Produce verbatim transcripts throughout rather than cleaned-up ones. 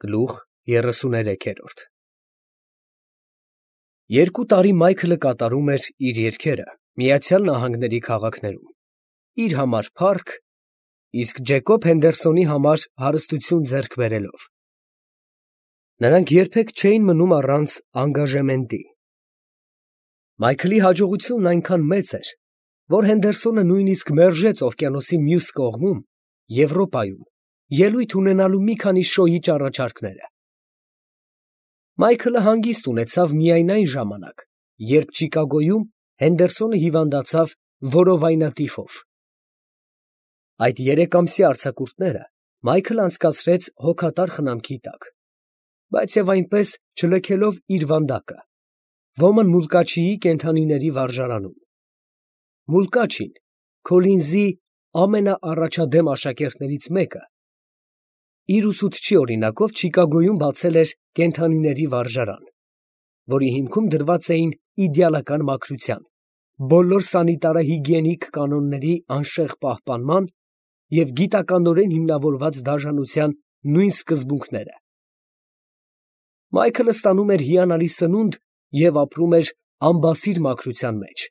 Գլուխ երեսուներեքերորդ Երկու տարի Մայքլը կատարում էր իր երգերը Միացյալ Նահանգների քաղաքներում, իր համար փառք, իսկ Ջեկոբ Հենդերսոնի համար հարստություն ձեռք բերելով։ Նրանք երբեք չէին մնում առանց անգաժեմենտի։ Մայքլի հաջողությունն այնքան մեծ էր, որ Հենդերսոնը նույնիսկ մերժեց օվկիանոսի մյուս կողմում, Եվրոպայում, ելույթ ունենալու մի քանի շոյիչ առաջարկները։ Մայքլը հանգիստ ունեցավ միայն այն ժամանակ, երբ Չիկագոյում Հենդերսոնը հիվանդացավ որովայնատիֆով։ Այդ երեկամսյա արձակուրդները Մայքլը անցկացրեց հոգատար խնամքի տակ, բայց և այնպես չլքելով իր վանդակը, Ոման Մուլկաչիի կենդանիների վարժարանում։ Մուլկաչին, Քոլինզի ամենաառաջադեմ աշակերտներից մեկը, իր ուսուցչի օրինակով Չիկագոյում բացել էր կենդանիների վարժարան, որի հիմքում դրված էին իդեալական մաքրության, բոլոր սանիտարահիգիենիկ կանոնների անշեղ պահպանման և գիտականորեն հիմնավորված դաժանության նույն սկզբունքները։ Մայքլը ստանում էր հիանալի սնունդ և ապրում էր անբասիր մաքրության մեջ,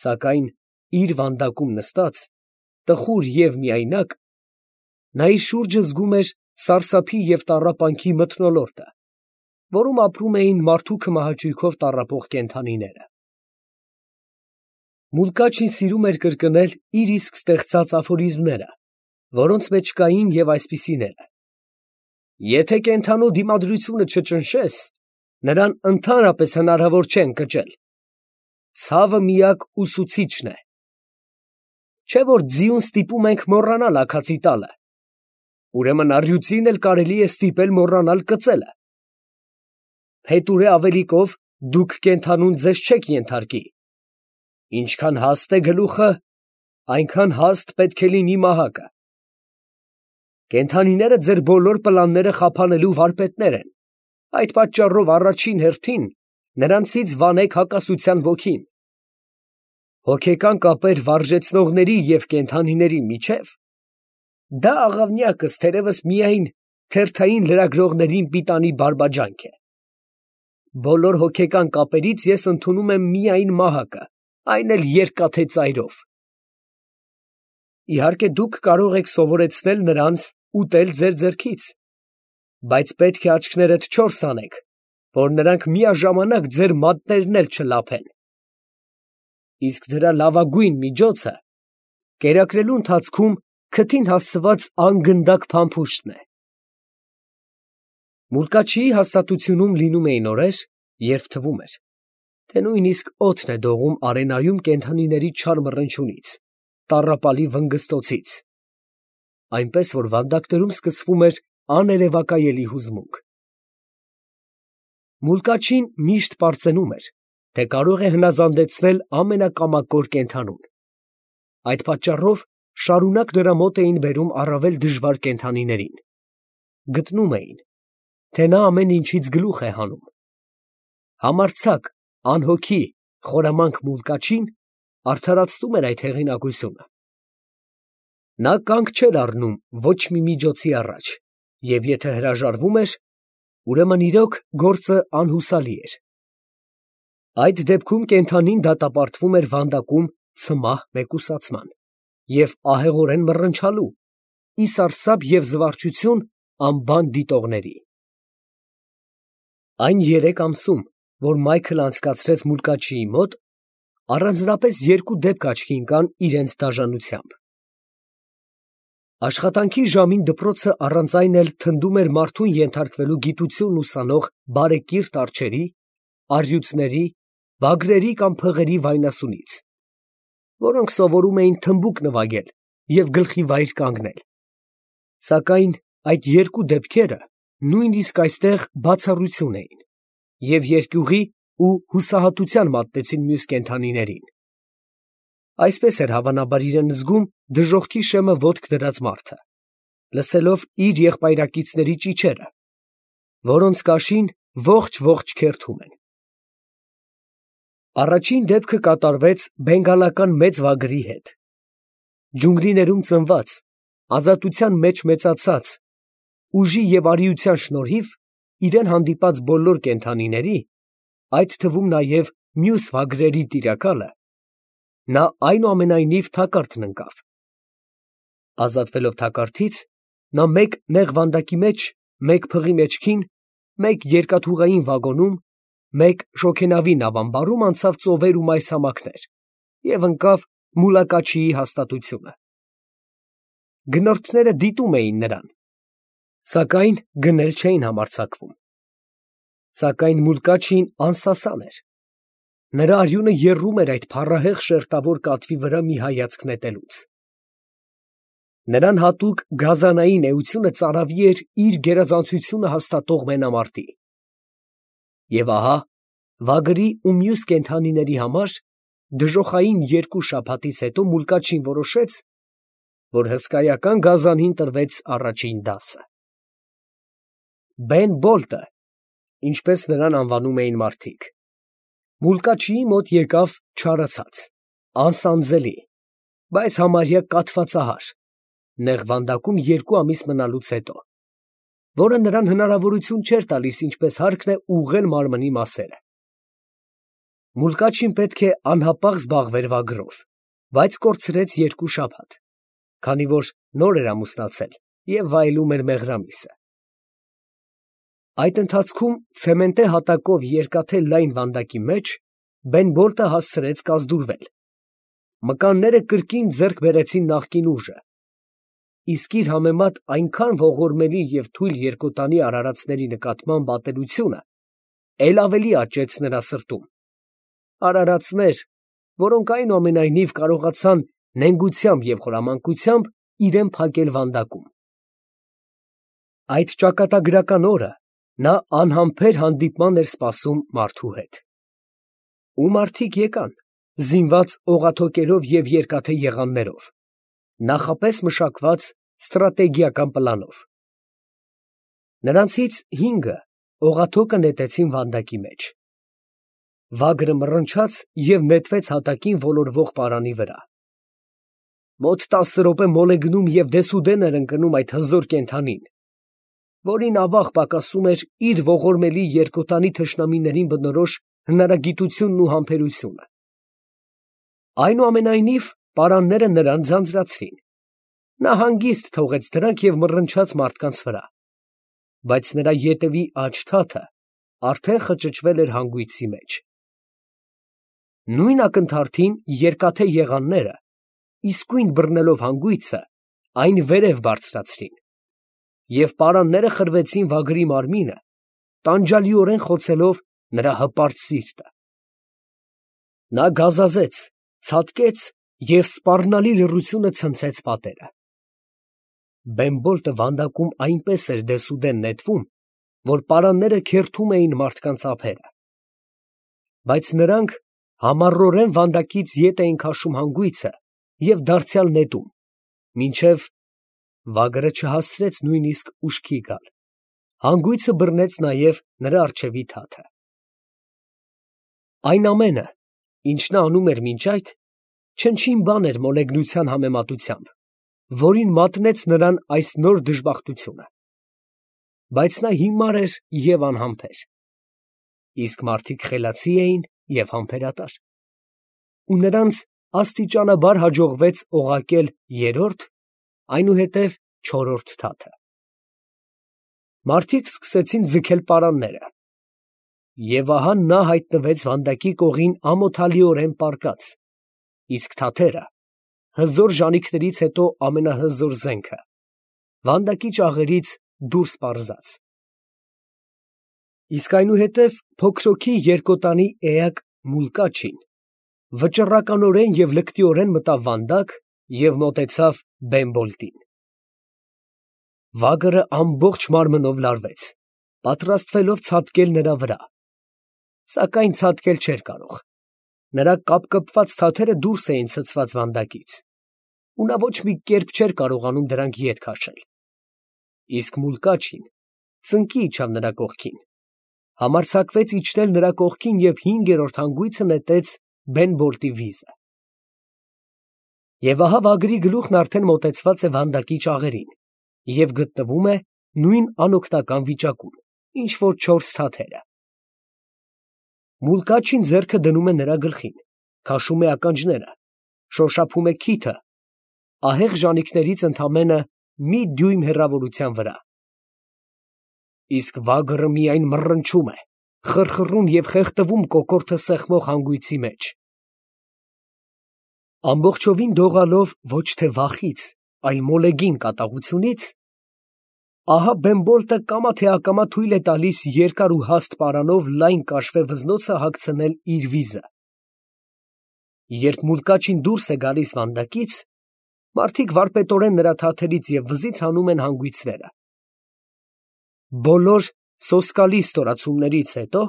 սակայն իր վանդակում նստած, տխուր և միայնակ, նա իր շուրջը զգում էր սարսափի և տառապանքի մթնոլորտը, որում ապրում էին մարդու քմահաճույքով տառապող կենդանիները։ Մուլկաչին սիրում էր կրկնել իր իսկ ստեղծած աֆորիզմները, որոնց մեջ կային և այսպիսիները. «Եթե կենդանու դիմադրությունը չճնշես, նրան ընդհանրապես հնարավոր չէ ընկճել. ցավը միակ ուսուցիչն է. չէ՞ որ ձիուն ստիպում ենք մոռանալ աքացի տալը, ուրեմն առյուծին էլ կարելի է ստիպել մոռանալ կծելը. փետուրե ավելիքով դուք կենդանուն ձեզ չեք ենթարկի. ինչքան հաստ է գլուխը, այնքան հաստ պետք է լինի մահակը. կենդանիները ձեր բոլոր պլանները խափանելու վարպետներ են, այդ պատճառով առաջին հերթին նրանցից վանեք հակասության ոգին. հոգեկան կապեր վարժեցնողների և կենդանիների միջև, դա աղավնյակս թերևս միայն թերթային լրագրողներին պիտանի բարբաջանք է. բոլոր հոգեկան կապերից ես ընդունում եմ միայն մահակը, այն էլ երկաթե ծայրով։ Իհարկե դուք կարող եք սովորեցնել նրանց ուտել ձեր ձեռքից, բայց պետք է աչքներդ չորս անեք, որ նրանք միաժամանակ ձեր մատներն էլ չլափեն։ Իսկ դրա լավագույն միջոցը կերակրելու ընթացքում քթին հասցված անգնդակ փամփուշտն է։ Մուլկաչիի հաստատությունում լինում էին օրեր, երբ թվում էր, թե նույնիսկ օդն է դողում արենայում կենդանիների չար մռնչյունից, տառապալի վնգստոցից, այնպես որ վանդակներում սկսվում էր աներևակայելի հուզմունք։ Մուլկաչին միշտ պարծենում էր, թե կարող է հնազանդեցնել ամենակամակոր կենդանուն։ Այդ պատճառով շարունակ նրա մոտ էին բերում առավել դժվար կենդանիներին։ Գտնում էին, թե նա ամեն ինչից գլուխ է հանում։ Համարձակ, անհոգի, խորամանկ Մուլկաչին արդարացնում էր այդ հեղինակությունը։ Նա կանգ չէր առնում ոչ մի միջոցի առաջ, և եթե հրաժարվում էր, ուրեմն իրոք գործը անհուսալի էր։ Այդ դեպքում կենդանին դատապարտվում էր վանդակում ցմահ մեկուսացման և ահեղորեն մռնչալու, ի սարսափ և զվարճություն անբան դիտողների։ Այն երեք ամսում, որ Մայքլը անցկացրեց Մուլկաչիի մոտ, առանձնապես երկու դեպք աչքի ընկան իրենց դաժանությամբ։ Աշխատանքի ժամին դպրոցը առանց այն էլ թնդում էր մարդուն ենթարկվելու գիտությունն ուսանող բարեկիրթ արջերի, առյուծների, վագրերի կամ փղերի վայնասունից, որոնք սովորում էին թմբուկ նվագել և գլխի վայր կանգնել, սակայն այդ երկու դեպքերը նույնիսկ այստեղ բացառություն էին և երկյուղի ու հուսահատության մատնեցին մյուս կենդանիներին։ Այսպես էր հավանաբար իրեն զգում դժոխքի շեմը ոտք դրած մարդը, լսելով իր եղբայրակիցների ճիչերը, որոնց կաշին ողջ֊ողջ քերթում են։ Առաջին դեպքը կատարվեց բենգալական մեծ վագրի հետ։ Ջունգլիներում ծնված, ազատության մեջ մեծացած ուժի և արիության շնորհիվ իրեն հանդիպած բոլոր կենդանիների, այդ թվում նաև մյուս վագրերի տիրակալը, նա այնուամենայնիվ թակարդն ընկավ։ Ազատվելով թակարդից, նա մեկ նեղ վանդակի մեջ, մեկ փղի մեջքին, մեկ երկաթուղային վագոնում, մեկ շոգենավի նավամբարում անցավ ծովեր ու մայրցամաքներ և ընկավ Մուլակաչիի հաստատությունը։ Գնորդները դիտում էին նրան, սակայն գնել չէին համարձակվում։ Սակայն Մուլկաչին անսասան էր, նրա արյունը եռում էր այդ փառահեղ շերտավոր կատվի վրա մի հայացք նետելուց։ Նրան հատուկ գազանային էությունը ծարավի էր իր գերազանցությունը հաստատող մենամարտի։ Եվ ահա, վագրի ու մյուս կենդանիների համար դժոխային երկու շաբաթից հետո Մուլկաչին որոշեց, որ հսկայական գազանին տրվեց առաջին դասը։ Բեն Բոլտը, ինչպես նրան անվանում էին մարդիկ, Մուլկաչիի մոտ եկավ չարացած, անսանձելի, բայց համարյա կաթվածահար, նեղ վանդակում երկու ամիս մնալուց հետո, որը նրան հնարավորություն չէր տալիս ինչպես հարկն է ուղղել մարմնի մասերը։ Մուլկաչին պետք է անհապաղ զբաղվեր վագրով, բայց կորցրեց երկու շաբաթ, քանի որ նոր էր ամուսնացել և վայելում էր մեղրամիսը։ Այդ ընթացքում ցեմենտե հատակով երկաթե լայն վանդակի մեջ Բեն Բոլտը հասցրեց կազդուրվել։ Մկանները կրկին ձեռք բերեցին նախկին ուժը, իսկ իր համեմատ այնքան ողորմելի և թույլ երկոտանի արարածների նկատմամբ ատելությունը էլ ավելի աճեց նրա սրտում։ Արարածներ, որոնք այնուամենայնիվ կարողացան նենգությամբ և խորամանկությամբ իրեն փակել վանդակում։ Այդ ճակատագրական օրը նա անհամբեր հանդիպման էր սպասում մարդու հետ։ Ու մարդիկ եկան, զինված օղաթոկերով և երկաթե եղաններով, նախապես մշակված ստրատեգիական պլանով։ Նրանցից հինգը օղաթոկը նետեցին վանդակի մեջ։ Վագրը մռնչաց և նետվեց հատակին ոլորվող պարանի վրա։ Մոտ տասը րոպե մոլեգնում և դեսուդեն էր ընկնում այդ հզոր կենդանին, որին ավաղ պակասում էր իր ողորմելի երկոտանի թշնամիներին բնորոշ հնարագիտությունն ու համբերությունը։ Այնուամենայնիվ պարանները նրան ձանձրացրին, նա հանգիստ թողեց դրանք և մռնչաց մարդկանց վրա, բայց նրա ետևի աջ թաթը արդեն խճճվել էր հանգույցի մեջ։ Նույն ակնթարթին երկաթե եղանները, իսկույն բռնելով հանգույցը, այն վերև բարձրացրին, և պարանները խրվեցին վագրի մարմինը, տանջալիորեն խոցելով նրա հպարտ սիրտը։ Նա գազազեց, ցատկեց և սպառնալի լռությունը ցնցեց պատերը։ Բեն Բոլտը վանդակում այնպես էր դեսուդեն նետվում, որ պարանները քերթում էին մարդկանց ափերը։ Բայց նրանք համառորեն վանդակից ետ էին քաշում հանգույցը և դարձյալ նետում, մինչև վագրը չհասցրեց նույնիսկ ուշքի գալ, հանգույցը բռնեց նաև նրա առջևի թաթը։ Այն ամենը, ինչ նա անում էր մինչ այդ, չնչին բան էր մոլեգնության համեմատությամբ, որին մատնեց նրան այս նոր դժբախտությունը։ Բայց նա հիմար էր և անհամբեր, իսկ մարդիկ խելացի էին և համբերատար, ու նրանց աստիճանաբար հաջողվեց օղակել երրորդ, այնուհետև չորրորդ թաթը։ Մարդիկ սկսեցին ձգել պարանները, և ահա նա հայտնվեց վանդակի կողին ամոթալիորեն պառկած, իսկ թաթերը, հզոր ժանիքներից հետո ամենահզոր զենքը, վանդակի ճաղերից դուրս պարզած։ Իսկ այնուհետև փոքրոցի երկոտանի էակ Մուլկաչին վճռականորեն և լկտիորեն մտավ վանդակ և մոտեցավ Բեն Բոլտին։ Վագրը ամբողջ մարմնով լարվեց, պատրաստվելով ցատկել նրա վրա, սակայն ցատկել չէր կարող, նրա կապկպված թաթերը դուրս էին ցցված վանդակից, ու նա ոչ մի կերպ չէր կարողանում դրանք ետ քաշել։ Իսկ Մուլկաչին ծնկի իջավ նրա կողքին, համարձակվեց իջնել նրա կողքին և հինգերորդ հանգույցը նետեց Բեն Բոլտի վիզը։ Եվ ահա վագրի գլուխն արդեն մոտեցված է վանդակի ճաղերին և գտնվում է նույն անօգնական վիճակում, ինչ որ չորս թաթերը։ Մուլկաչին ձեռքը դնում է նրա գլխին, քաշում է ականջները, շոշափում է քիթը, ահեղ ժանիքներից ընդամենը մի դյույմ հեռավորության վրա։ Իսկ վագրը միայն մռնչում է, խռխռում և խեղդվում կոկորդը սեղմող հանգույցի մեջ։ Ամբողջովին դողալով ոչ թե վախից, այլ մոլեգին կատաղությունից, ահա Բեմբոլտը կամա թե ակամա թույլ է տալիս երկար ու հաստ պարանով լայն կաշվե վզնոցը հագցնել իր վիզը։ Երբ Մուլկաչին դուրս է գալիս վանդակից, մարդիկ վարպետորեն նրա թաթերից և վզից հանում են հանգույցները։ Բոլոր սոսկալի ստորացումներից հետո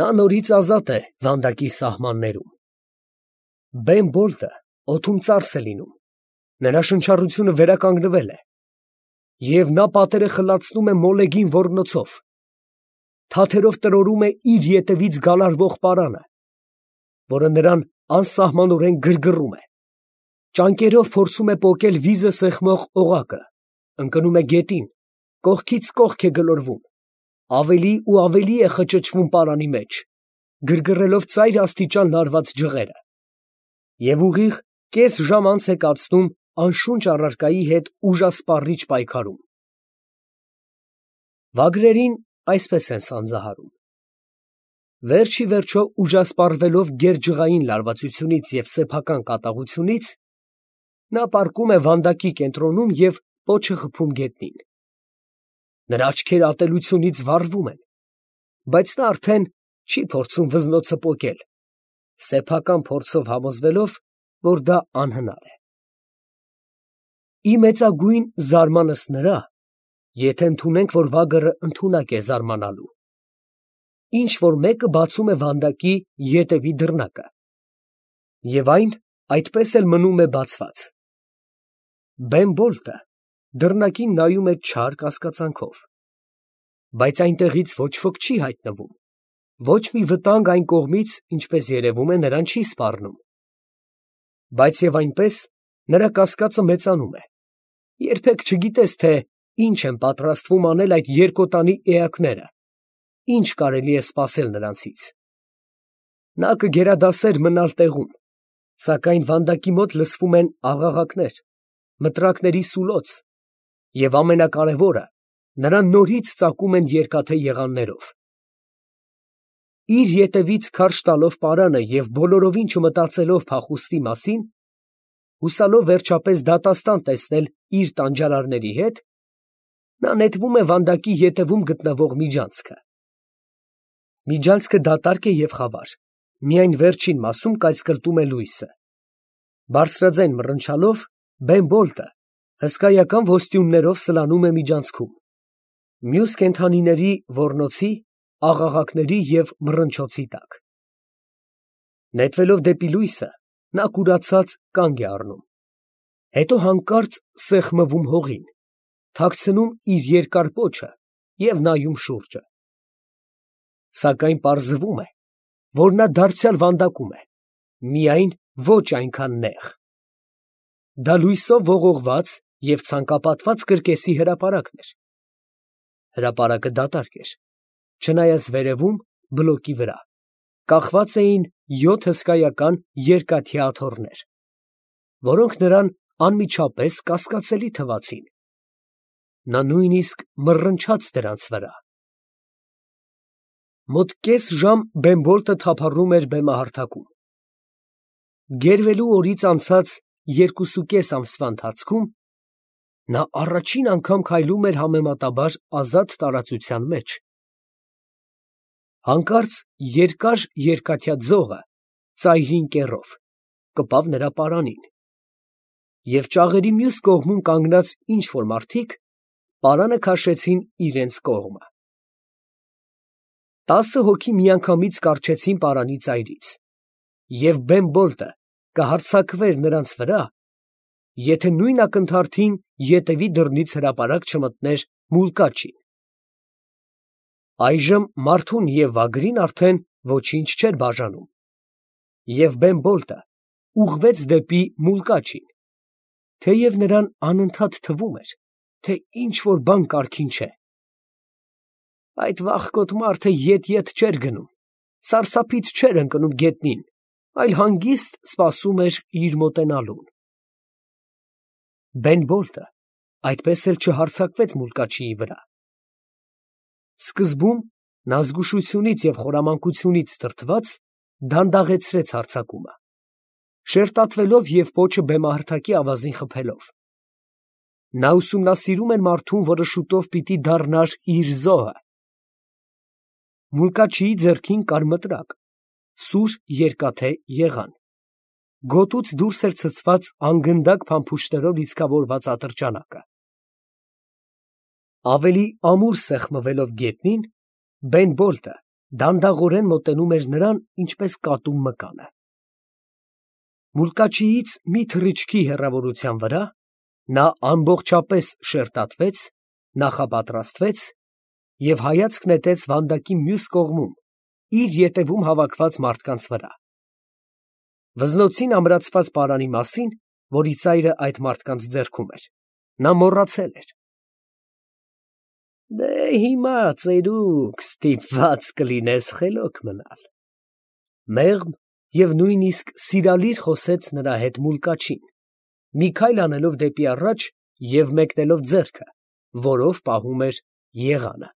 նա նորից ազատ է վանդակի սահմաններում։ Բեմբոլտը օդում ծարս է լինում, նրա շնչառությունը վերականգնվել է, և նա պատերը խլացնում է մոլեգին ոռնոցով, թաթերով տրորում է իր ետևից գալարվող պարանը, որը նրան անսահմանորեն գրգռում է, ճանկերով փորձում է պոկել վիզը սեղմող օղակը, ընկնում է գետին, կողքից կողք է գլորվում, ավելի ու ավելի է խճճվում պարանի մեջ, գրգռելով ծայր աստիճան լարված ջղերը, և ուղիղ կես ժամ անց է կացնում անշունչ առարկայի հետ ուժասպառիչ պայքարում։ Վագրերին այսպես են սանձահարում. վերջ ի վերջո ուժասպառվելով գերջղային լարվածությունից և սեփական կատաղությունից, նա պառկում է վանդակի կենտրոնում և պոչը խփում գետնին։ Նրա աչքերը ատելությունից վառվում են, բայց նա արդեն չի փորձում վզնոցը պոկել, սեփական փորձով համոզվելով, որ դա անհնար է։ Ի մեծագույն զարմանս նրա, եթե ընդունենք, որ վագրը ընդունակ է զարմանալու, ինչ որ մեկը բացում է վանդակի ետևի դռնակը, և այն այդպես էլ մնում է բացված։ Բեմբոլտը դռնակին նայում է չար կասկածանքով, բայց այնտեղից ոչ ոք չի հայտնվում, ոչ մի վտանգ այն կողմից, ինչպես երևում է, նրան չի սպառնում։ Բայց և այնպես նրա կասկածը մեծանում է, երբեք չգիտես, թե ինչ են պատրաստվում անել այդ երկոտանի էակները, ինչ կարելի է սպասել նրանցից։ Նա կգերադասեր մնալ տեղում, սակայն վանդակի մոտ լսվում են աղաղակներ, մտրակների սուլոց, և ամենակարևորը, նրան նորից ծակում են երկաթե եղաններով։ Իր ետևից քարշ տալով պարանը և բոլորովին չմտածելով փախուստի մասին, հուսալով վերջապես դատաստան տեսնել իր տանջարարների հետ, նա նետվում է վանդակի ետևում գտնվող միջանցքը։ Միջանցքը դատարկ է և խավար, միայն վերջին մասում կայծկրտում է լույսը։ Բարձրաձայն մռնչալով, Բեմբոլտը հսկայական ոստյուններով սլանում է միջանցքում, մյուս կենդանիների ոռնոցի, աղաղակների և մռնչոցի տակ։ Նետվելով դեպի լույսը, նա կուրացած կանգ է առնում, հետո հանկարծ սեղմվում հողին, թաքցնում իր երկար պոչը և նայում շուրջը։ Սակայն պարզվում է, որ նա դարձյալ վանդակում է, միայն ոչ այնքան նեղ։ Դա լույսով ողողված և ցանկապատված կրկեսի հրապարակն էր։ Հրապարակը դատարկ էր, չնայած վերևում, բլոկի վրա, կախված էին յոթ հսկայական երկաթյա աթոռներ, որոնք նրան անմիջապես կասկածելի թվացին։ Նա նույնիսկ մռնչաց դրանց վրա։ Մոտ կես ժամ Բեմբոլտը թափառում էր բեմահարթակում։ Գերվելու օրից անցած երկուսուկես ամսվա ընթացքում նա առաջին անգամ քայլում էր համեմատաբար ազատ տարածության մեջ։ Հանկարծ երկար երկաթյա ձողը ծայրին կեռով կպավ նրա պարանին, և ճաղերի մյուս կողմում կանգնած ինչ֊որ մարդիկ պարանը քաշեցին իրենց կողմը։ Տասը հոգի միանգամից կառչեցին պարանի ծայրից, և Բեմբոլտը կհարձակվեր նրանց վրա, եթե նույն ակնթարթին ետևի դռնից հրապարակ չմտներ Մուլկաչին։ Այժմ մարդուն և վագրին արդեն ոչինչ չէր բաժանում, և Բեմբոլտը ուղղվեց դեպի Մուլկաչին, թեև նրան անընդհատ թվում էր, թե ինչ որ բան կարգին չէ։ Այդ վախկոտ մարդը ետ-ետ չէր գնում, սարսափից չէր ընկնում գետնին, այլ հանգիստ սպասում էր իր մոտենալուն։ Բեն-Բոլտը այդպես էլ չհարձակվեց մուլկաչիի վրա։ Սկզբում նա զգուշությունից և խորամանկությունից դրդված դանդաղեցրեց հարձակումը, շերտատվելով և պոչը բեմահարթակի ավազին խփելով։ Նա ուսումնասիրում էր մարդուն, որը շուտով պիտի դառնար իր զոհը։ Մուլկաչիի ձեռքին կար մտրակ, սուր երկաթե եղան, գոտուց դուրս էր ցցված անգնդակ փամփուշտներով լիցքավորված ատրճանակը։ Ավելի ամուր սեղմվելով գետնին, Բեն-Բոլտը դանդաղորեն մոտենում էր նրան, ինչպես կատու մկանը։ Մուլկաչիից մի թռիչքի հեռավորության վրա նա ամբողջապես շերտատվեց, նախապատրաստվեց և հայացք նետեց վանդակի մյուս կողմում իր ետևում հավաքված մարդկանց վրա։ Վզնոցին ամրացված պարանի մասին, որի ծայրը այդ մարդկանց ձեռքում էր, նա մոռացել էր։ «Դե հիմա, ծերուկ, ստիպված կլինես խելոք մնալ», ֊ մեղմ և նույնիսկ սիրալիր խոսեց նրա հետ մուլկաչին, մի քայլ անելով դեպի առաջ և մեկնելով ձեռքը, որով պահում էր եղանը։